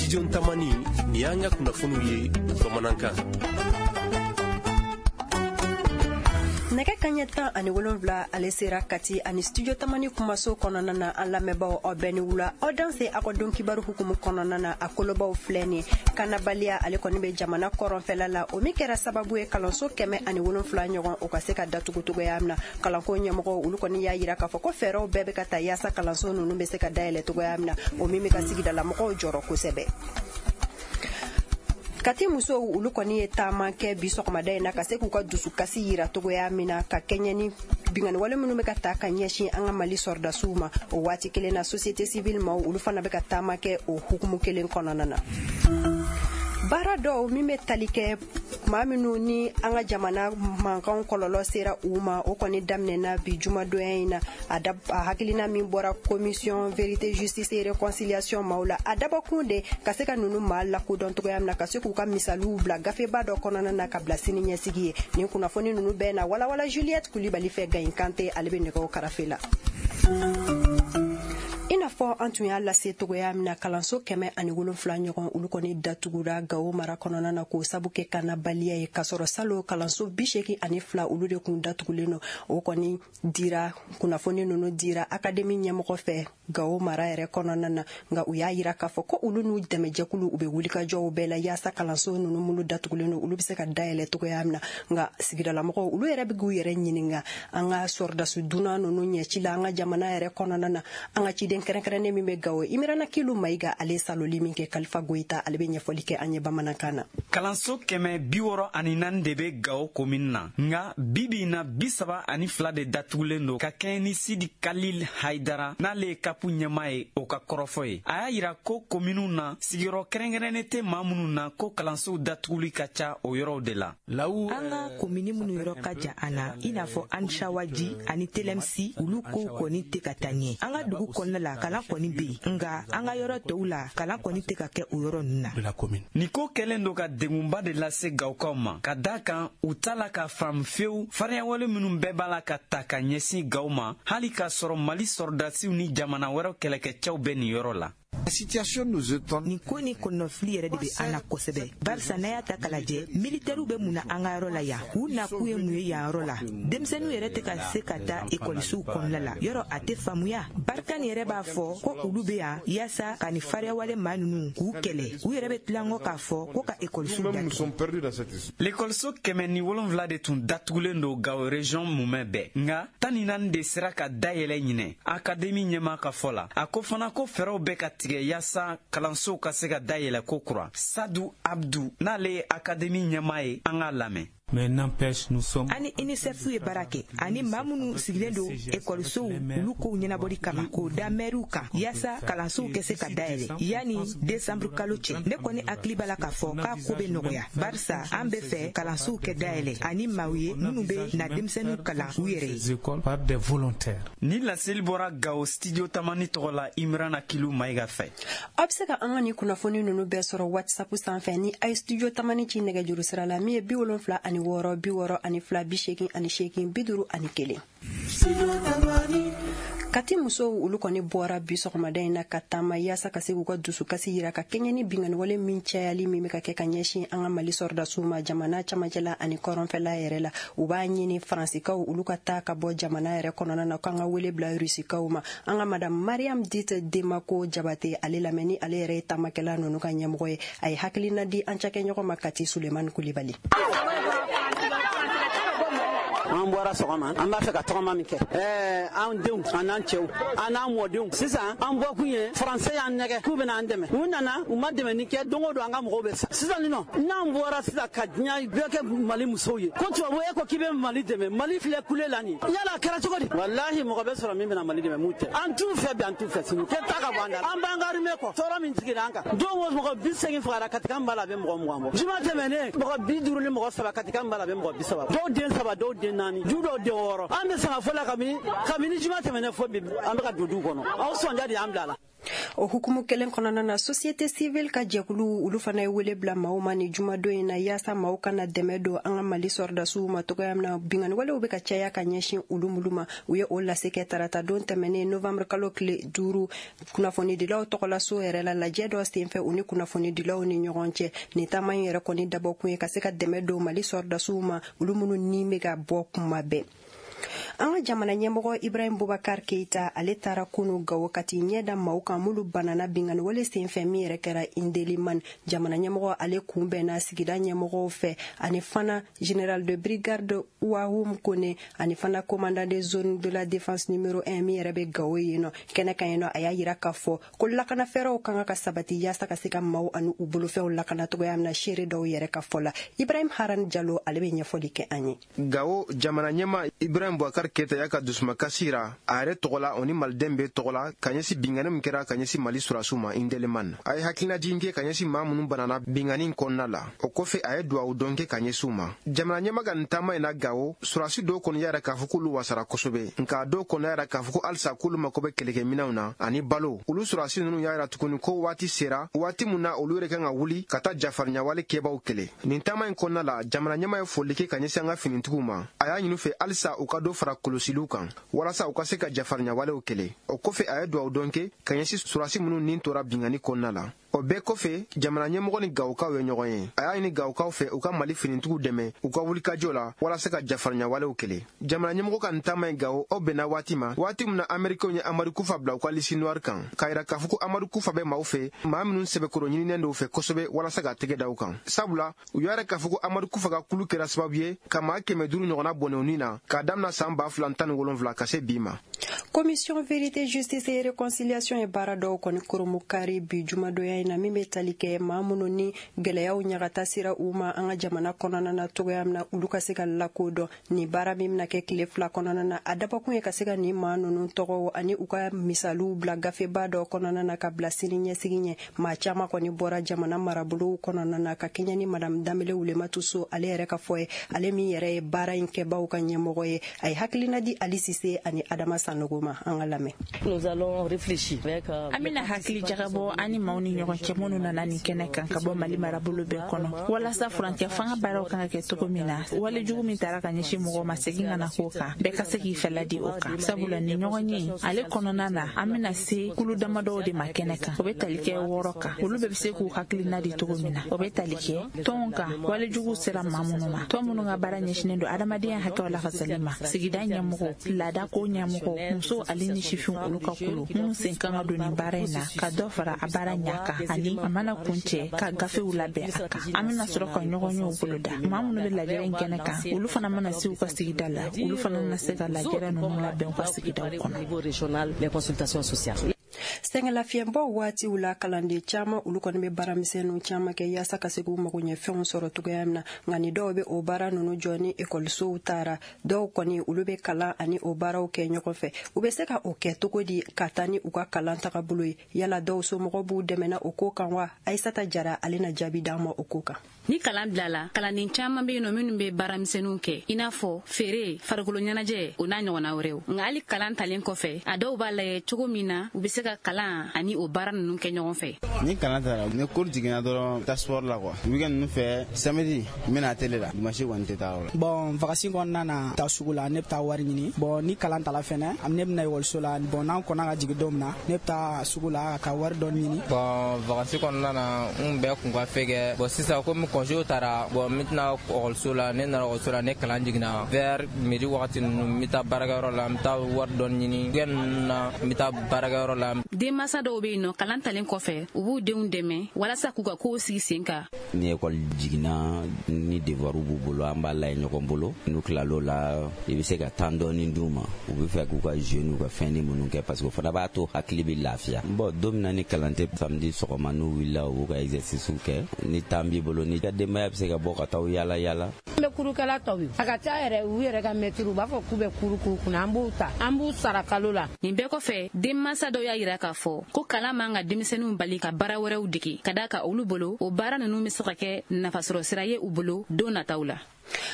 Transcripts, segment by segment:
Studio Tamani, nin y'an ka kunnafoniw ye bamanankan. Nɛgɛ kaɲɛ 17 ale sera Kati ani Studio Tamani kumaso kɔnɔna na. An lamɛnbaaw, aw bɛɛ ni wula, aw danse aw ka don kibaru hukumu kɔnɔna na. A kolobaw filɛ nin: kanabaliya ale kɔni bɛ jamana kɔrɔnfɛla la, o min kɛra sababu ye kalanso 107 ɲɔgɔn o ka se ka datugu cogoya min na. Kalanko ɲɛmɔgɔw, olu kɔni y'a yira k'a fɔ ko fɛɛrɛw bɛɛ bɛ ka ta yaasa kalanso ninnu bɛ se ka dayɛlɛ cogoya min na, o min bɛ ka sigidalamɔgɔw jɔrɔ kosɛbɛ. Kati musow, olu kɔni ye taama kɛ bi sɔgɔmada in na ka se k'u ka dusukasi yira cogoya min na ka kɛɲɛ ni binganiwale minnu bɛ ka ta ka ɲɛsin an ka Mali sɔrɔdasiw ma. O waati kelen na, société civile maaw, olu fana bɛ ka taama kɛ o hukumu kelen kɔnɔna na. Baara dɔw min bɛ tali kɛ maa minnu ni an ka jamana mankanw kɔlɔlɔ sera u ma, o kɔni daminɛna bi jumadonya in na. A hakilina min bɔra Commission vérité, justice et réconciliation maaw la, a dabɔkun de ka se ka ninnu maa lakodɔn cogoya min na, ka se k'u ka misaliw bila gafeba dɔ kɔnɔna na ka bila sini ɲɛsigi ye. Nin kunnafoni ninnu bɛɛ na walawala Juliette Kulibali fɛ. Gayin Kante, ale bɛ nɛgɛw karafe la. I n'a fɔ an tun y'a lase togoya min na, kalanso 107 ɲɔgɔn, olu kɔni datugura Gawo mara kɔnɔna na k'o sabu kɛ kanabaliya ye, k'a sɔrɔ salo kalanso 82, olu de kun datugulen don. O kɔni dira, kunnafoni ninnu dira akademi ɲɛmɔgɔ fɛ Gawo mara yɛrɛ kɔnɔna na. Nka u y'a yira k'a fɔ ko olu n'u dɛmɛjɛkulu, u bɛ wulikajɔw bɛɛ la yaasa kalanso ninnu minnu datugulen don, olu bɛ se ka dayɛlɛ togoya min na. Nka sigidalamɔgɔw, olu yɛrɛ bɛ k'u yɛrɛ ɲininka an ka sɔrɔdasi dunan ninnu ɲɛci la an ka jamana yɛrɛ kɔnɔna na. An ka ciden kɛrɛnkɛrɛnnen min bɛ Gawo, Imirana Kilu Mayiga, ale saloli min kɛ, Kalifa Goyita, ale bɛ ɲɛfɔli kɛ an ye bamanankan na. Kalanso 164 de bɛ Gawo komini na, nka bibi in na, 32 de datugulen don, ka kɛɲɛ ni Sidi Kalil Haidara, n'ale ye CAP ɲɛmaa ye, o ka kɔrɔfɔ ye. A y'a yira ko kominiw na, sigiyɔrɔ kɛrɛnkɛrɛnnen tɛ maa minnu na, ko kalansow datuguli ka ca o yɔrɔw de la. An ka komini minnu yɔrɔ ka jan an na, i n'a fɔ Ansawaji ani Telemsi, olu kow kɔni tɛ ka taa ɲɛ. An ka dugu kɔnɔna la, kalan kɔni bɛ yen, nka an ka yɔrɔ tɔw la, kalan kɔni tɛ ka kɛ o yɔrɔ ninnu na. Nin ko kɛlen don ka degunba de lase Gawukaw ma, ka da kan u t'a la ka faamu fewu fariyawale minnu bɛɛ b'a la ka ta ka ɲɛsin Gaw ma, hali k'a sɔrɔ Mali sɔrɔdasiw ni jamana wɛrɛw kɛlɛkɛcɛw bɛ nin yɔrɔ la. Nin ko ni kɔnɔfili yɛrɛ de bɛ an na kosɛbɛ, barisa n'a y'a ta k'a lajɛ, militɛriw bɛ mun na an ka yɔrɔ la yan? U nakun ye mun ye yan yɔrɔ la? Denmisɛnninw yɛrɛ tɛ ka se ka taa ekɔlisow kɔnɔna la. Yɔrɔ a tɛ faamuya. Barkhane yɛrɛ b'a fɔ ko olu bɛ yan yaasa ka nin fariyawale maa ninnu k'u kɛlɛ, u yɛrɛ bɛ tilankɔ k'a fɔ ko ka ekɔlisow datugu. Lekɔliso 107 de tun datugulen don Gawo région mumɛ bɛɛ, nka 14 de sera ka dayɛlɛ ɲinɛ, akademi ɲɛmaa ka fɔ la. A ko fana ko fɛɛrɛw bɛ ka tigɛ yaasa kalansow ka se ka dayɛlɛ ko kura. Sadu Abdu, n'ale ye akademi ɲɛmaa ye, an k'a lamɛn. Mais n'empêche, nous sommes. Ani UNICEF ye baara kɛ ani maa minnu sigilen don ekɔlisow olu kow ɲɛnabɔli kama, k'o da mɛriw kan yaasa kalansow kɛ se ka dayɛlɛ yanni desanburu kalo cɛ. Ne kɔni hakili b'a la k'a fɔ k'a ko bɛ nɔgɔya, barisa an bɛ fɛ kalansow kɛ dayɛlɛ ani maaw ye minnu bɛ na denmisɛnninw kalan u yɛrɛ ye. Par des volontaires. Ni laseli bɔra Gawo Studio Tamani tɔgɔ la, Imrana Kilu Mayiga fɛ. Aw bɛ se ka an ka nin kunnafoni ninnu bɛɛ sɔrɔ WhatsApp sanfɛ ni a ye Studio Tamani ci nɛgɛjuru sira la min ye 76 62 88 51. Kati musow, olu kɔni bɔra bi sɔgɔmada in na ka taama yaasa ka se k'u ka dusukasi yira ka kɛɲɛ ni binganiwale min cayali min bɛ ka kɛ ka ɲɛsin an ka Mali sɔrɔdasiw ma jamana camancɛla ani kɔrɔnfɛla yɛrɛ la. U b'a ɲini Faransikaw, olu ka taa ka bɔ jamana yɛrɛ kɔnɔna na, k'an ka wele bila Rusikaw ma. An ka Madame Mariam Dit Demako Jabate, ale lamɛn ni ale yɛrɛ ye taamakɛla ninnu ka ɲɛmɔgɔ ye. A ye hakilina di an cakɛɲɔgɔn ma Kati, Sulemani Kulibali. An bɔra sɔgɔma, an b'a fɛ ka tɔgɔma min kɛ, ɛɛ an denw, an n'an cɛw, an n'an mɔdenw. Sisan an bɔkun ye, Faransɛ y'an nɛgɛ k'u bɛna an dɛmɛ. U nana, u ma dɛmɛni kɛ. Don o don an ka mɔgɔw bɛ sa. Sisan nin nɔ, n'an bɔra sisan ka diɲɛ bɛɛ kɛ Mali musow ye ko tubabu e ko k'i bɛ Mali dɛmɛ, Mali filɛ kule la nin yala, a kɛra cogo di? Walahi, mɔgɔ bɛ sɔrɔ min bɛna Mali dɛmɛ, mun tɛ. An t'u fɛ bi, an t'u fɛ sini. Kɛ taa ka bɔ an da la. An b'an ka armée kɔ. Tɔɔrɔ min sigira an kan, don o mɔgɔ 80 fagara Katikan b'a la, a bɛ mɔgɔ 20 bɔ. Juma tɛmɛnen, mɔgɔ 53, Katikan b'a la, a bɛ mɔgɔ 30, dɔw den saba, dɔw den naani. 4, du dɔw den 6. An bɛ sanga fɔlɔ kabini juma tɛmɛnen fo bi, an bɛ ka don du kɔnɔ. Aw sɔnja de y'an bila la. O hukumu kelen kɔnɔna na, société civile ka jɛkulu olu fana ye wele bila maaw ma ni jumadon in na, yaasa maaw kana dɛmɛ don an ka Mali sɔrɔdasiw ma togoya min na binkanni walew bɛ ka caya ka ɲɛsin olu minnu ma. U ye o lase kɛ tarata don tɛmɛnen, novembre kalo tile 5, kunnafonidilaw tɔgɔlaso yɛrɛ la, lajɛ dɔ senfɛ u ni kunnafonidilaw ni ɲɔgɔn cɛ. Nin taama in yɛrɛ kɔni dabɔkun ye ka se ka dɛmɛ don Mali sɔrɔdasiw ma, olu minnu ni bɛ ka bɔ kuma bɛɛ. An ka jamana ɲɛmɔgɔ Ibrahim Boubacar Keita, ale taara kunu Gawo ka t'i ɲɛ da maaw kan minnu banana binkanni wale senfɛ min yɛrɛ kɛra Indelimane. Jamana ɲɛmɔgɔ ale kunbɛnna sigida ɲɛmɔgɔw fɛ, ani fana général de brigade Ouahou Kone, ani fana commandant de zone de la défense numéro 1 min yɛrɛ bɛ Gawo yen nɔ. Kɛnɛ kan yen nɔ, a y'a yira k'a fɔ ko lakana fɛɛrɛw kan ka sabati yaasa ka se ka maaw ani u bolofɛnw lakana cogoya min na, seere dɔw yɛrɛ ka fɔ la. Ibrahim Haran Jalo, ale bɛ ɲɛfɔli kɛ an ye. Gawo jamana ɲɛma Ibrahim Boubacar Keita y'a ka dusumakasi yira a yɛrɛ tɔgɔ la, o ni maliden bɛɛ tɔgɔ la, ka ɲɛsin binkanni min kɛra ka ɲɛsin Mali sɔrɔdasiw ma Indelimane. A ye hakilinajigin kɛ ka ɲɛsin maa minnu banana binkanni kɔnɔna la. O kɔfɛ, a ye duwawu dɔn kɛ ka ɲɛsin u ma. Jamana ɲɛma ka nin taama in na Gawo, sɔrɔdasi dɔw kɔni y'a yira k'a fɔ k'olu wasara kosɛbɛ, nka dɔw kɔni y'a yira k'a fɔ ko halisa k'olu mako bɛ kɛlɛkɛminɛnw na ani balo. Olu sɔrɔdasi ninnu y'a yira tuguni ko waati sera, waati mun na olu yɛrɛ kan ka wuli ka taa jafarinyawale kɛbaw kɛlɛ. Nin taama in kɔnɔna la, jamana ɲɛma ye foli kɛ ka ɲɛsin an ka finitigiw ma. A y'a ɲini fɛ halisa u ka dɔ fara kɔlɔsiliw kan walasa u ka se ka jafarinyawalew kɛlɛ. O kɔfɛ, a ye duwawu dɔn kɛ ka ɲɛsin sɔrɔdasi minnu nin tora binkanni kɔnɔna la. O bɛɛ kɔfɛ, jamana ɲɛmɔgɔ ni Gawokaw ye ɲɔgɔn ye. A y'a ɲini Gawokaw fɛ u ka Mali finitigiw dɛmɛ u ka wulikajɔ la walasa ka jafarinyawalew kɛlɛ. Jamana ɲɛmɔgɔ ka nin taama in Gawo, aw bɛnna waati ma, waati min na Américains ye Amadu Kufa bila u ka liste noire kan, k'a yira k'a fɔ ko Amadu Kufa bɛ maaw fɛ, maa minnu sɛbɛkɔrɔ ɲininen dɔw fɛ kosɛbɛ walasa ka tɛgɛ da u kan, sabula u y'a yira k'a fɔ ko Amadu Kufa ka kulu kɛra sababu ye ka maa 500 ɲɔgɔnna bɔnɛ u ni na k'a daminɛ san 2017 ka se bi ma. Commission vérité, justice et réconciliation ye baara dɔw kɔni kurumukari bi jumadonya in na, min bɛ tali kɛ maa minnu ni gɛlɛyaw ɲagata sera u ma an ka jamana kɔnɔna na togoya min na, olu ka se ka lakodɔn. Nin baara min bɛna kɛ tile 2 kɔnɔna na, a dabɔkun ye ka se ka nin maa ninnu tɔgɔw ani u ka misaliw bila gafeba dɔ kɔnɔna na ka bila sini ɲɛsigi ɲɛ. Maa caman kɔni bɔra jamana marabolow kɔnɔna na ka kɛɲɛ ni madame Danbele Wulematu So ale yɛrɛ ka fɔ ye, ale min yɛrɛ ye baara in kɛbaw ka ɲɛmɔgɔ ye. A ye hakilina di Ali Sise ani Adama Sanogo ma, an ka lamɛn. An bɛna hakili jagabɔ an ni maaw ni ɲɔgɔn cɛ minnu nana nin kɛnɛ kan ka bɔ Mali marabolo bɛɛ kɔnɔ, walasa furancɛ fanga baaraw kan ka kɛ cogo min na, walejugu min taara ka ɲɛsin mɔgɔw ma, segin ka na k'o kan, bɛɛ ka se k'i fɛla di o kan, sabula nin ɲɔgɔn ye ale kɔnɔna na, an bɛna se kulu damadɔw de ma kɛnɛ kan. O bɛ tali kɛ 6 kan, olu bɛɛ bɛ se k'u hakilina di cogo min na. O bɛ tali kɛ tɔnw kan, walejugu sera maa minnu ma, tɔn minnu ka baara ɲɛsinnen don adamadenya hakɛw lafasali ma, sigida ɲɛmɔgɔw, laadako ɲɛmɔgɔw, musow ale ni sifinw, olu ka kulu minnu sen kan ka don nin baara in na, ka dɔ fara a baara ɲa kan, ani a mana kun cɛ ka gafew labɛn a kan. An bɛna sɔrɔ ka ɲɔgɔn yew boloda. Maa minnu bɛ lajɛrɛ in kɛnɛ kan, olu fana mana se u ka sigida la, olu fana na se ka lajɛrɛ ninnu labɛn u ka sigidaw kɔnɔ. Sɛgɛnlafiɲɛbɔ waatiw la, kalanden caman olu kɔni bɛ baaramisɛnninw caman kɛ yaasa ka se k'u mago ɲɛ fɛnw sɔrɔ cogoya min na. Nka ni dɔw bɛ o baara ninnu jɔ ni ekɔlisow taara, dɔw kɔni olu bɛ kalan ani o baaraw kɛ ɲɔgɔn fɛ. U bɛ se ka o kɛ cogo di ka taa ni u ka kalan tagabolo ye? Yala dɔw somɔgɔw b'u dɛmɛna o ko kan wa? Ayisata Jara, ale na jaabi d'an ma o ko kan. Ni kalan bilala, kalanden caman bɛ yen nɔ minnu bɛ baaramisɛnninw kɛ, i n'a fɔ feere, farikolo ɲɛnajɛ, o n'a ɲɔgɔnna wɛrɛw. Nka hali kalan talen kɔfɛ, a dɔw b'a lajɛ cogo min na u bɛ se ka kalan ani o baara ninnu kɛ ɲɔgɔn fɛ. Ni kalan taara, ni cours jiginna dɔrɔn, taa sport la quoi. Week-end ninnu fɛ, samedi n bɛna télé la, dimanche kɔni tɛ taa yɔrɔ la. Bon, vacances kɔnɔna na, taa sugu la, ne bɛ taa wari ɲini. Bon, ni kalan tala fɛnɛ, ne bɛna ekɔliso la. Bon, n'an kɔnna ka jigin don min na, ne bɛ taa sugu la ka wari dɔɔni ɲini. Bon, vacances kɔnɔna na, n bɛɛ kun ka fɛn kɛ. Bon, sisan komi congé taara, bon, n bɛna ekɔliso la, ne nana ekɔliso la, ne kalan jiginna vers midi wagati ninnu, n bɛ taa baarakɛyɔrɔ la, n bɛ taa wari dɔɔni ɲini. Week-end ninnu na, n bɛ taa baarakɛyɔrɔ la. Denmansa dɔw bɛ yen nɔ, kalan talen kɔfɛ, u b'u denw dɛmɛ walasa k'u ka kow sigi sen kan. Ni ekɔli jiginna, ni devoir b'u bolo, an b'a lajɛ ɲɔgɔn bolo. N'u tilal'o la, i bɛ se ka temps dɔɔni d'u ma, u bɛ fɛ k'u ka jeu n'u ka fɛnni minnu kɛ, parce que o fana b'a to hakili bɛ lafiya. Bon, don min na ni kalan tɛ, samedi sɔgɔma n'u wulila, u b'u ka exercice kɛ. Ni temps b'i bolo, ni ka denbaya bɛ se ka bɔ ka taa yala yala. An bɛ kurukɛla tɔw ye, a ka ca yɛrɛ u yɛrɛ ka mɛtiri, u b'a fɔ k'u bɛ kuru k'u kunna, an b'u ta, an b'u sara kalo la. Nin bɛɛ kɔfɛ, denmansa dɔw y'a yira k'a fɔ ko kalan man ka denmisɛnninw bali ka baara wɛrɛw dege, ka d'a kan olu bolo, o baara ninnu bɛ se ka kɛ nafasɔrɔ sira ye u bolo don nataw la.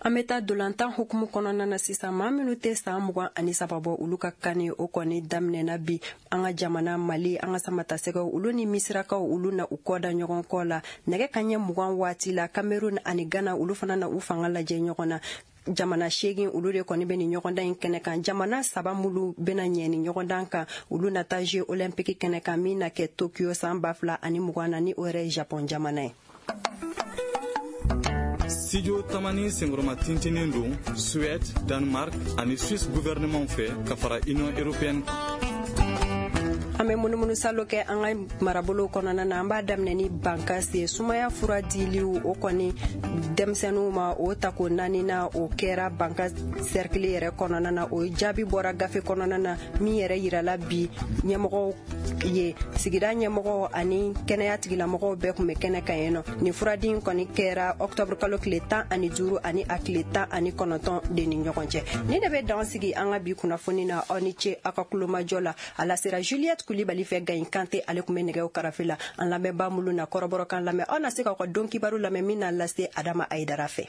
An bɛ taa dolantan hukumu kɔnɔna na sisan. Maa minnu tɛ san 23 bɔ, olu ka CAN o kɔni daminɛna bi. An ka jamana Mali, an ka samatasɛgɛw, olu ni Misirakaw, olu na u kɔ da ɲɔgɔn kɔ la nɛgɛ kaɲɛ 20 waati la. Cameroun ani Ghana, olu fana na u fanga lajɛ ɲɔgɔn na. Jamana 8, olu de kɔni bɛ nin ɲɔgɔndan in kɛnɛ kan. Jamana saba minnu bɛna ɲɛ ni ɲɔgɔndan kan, olu na taa Jeux olympique kɛnɛ kan min na kɛ Tokyo san 2020 na, ni o yɛrɛ ye Japon jamana ye. Studio Tamani senkɔrɔma tintinen don Suède, Danemark ani Suisse gouvernement fɛ ka fara Union européenne kan. An bɛ munumunu salo kɛ an ka marabolow kɔnɔna na. An b'a daminɛ ni Bankasi ye. Sumaya fura diliw o kɔni denmisɛnninw ma, o tako naani na, o kɛra Banka cercle yɛrɛ kɔnɔna na. O jaabi bɔra gafe kɔnɔna na min yɛrɛ yirala bi ɲɛmɔgɔw ye. Sigida ɲɛmɔgɔw ani kɛnɛya tigilamɔgɔw bɛɛ tun bɛ kɛnɛ kan yen nɔ. Nin furadi in kɔni kɛra octobre kalo tile 15 ani a tile 19 de ni ɲɔgɔn cɛ. Ni de bɛ dan sigi an ka bi kunnafoni na. Aw ni ce aw ka kulomajɔ la. A lasera Juliette Kulibali fɛ. Gayin Kante, ale tun bɛ nɛgɛw karafe la. An lamɛnbaa minnu na kɔrɔbɔrɔkan lamɛn, aw na se k'aw ka don kibaru lamɛn min na lase Adama Ayidara fɛ.